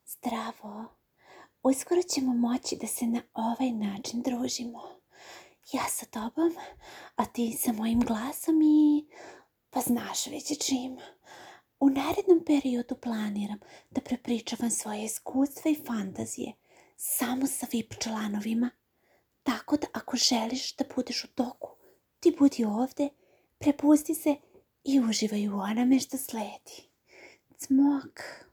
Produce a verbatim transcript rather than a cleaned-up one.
Zdravo. Uskoro ćemo moći da se na ovaj način družimo. Ja sa tobom, a ti sa mojim glasom i pa znaš već čim. U narednom periodu planiram da prepričavam svoje iskustva i fantazije samo sa V I P članovima. Tako da ako želiš da budeš u toku, ti budi ovde, prepusti se i uživaj u onome što sledi. Cmok.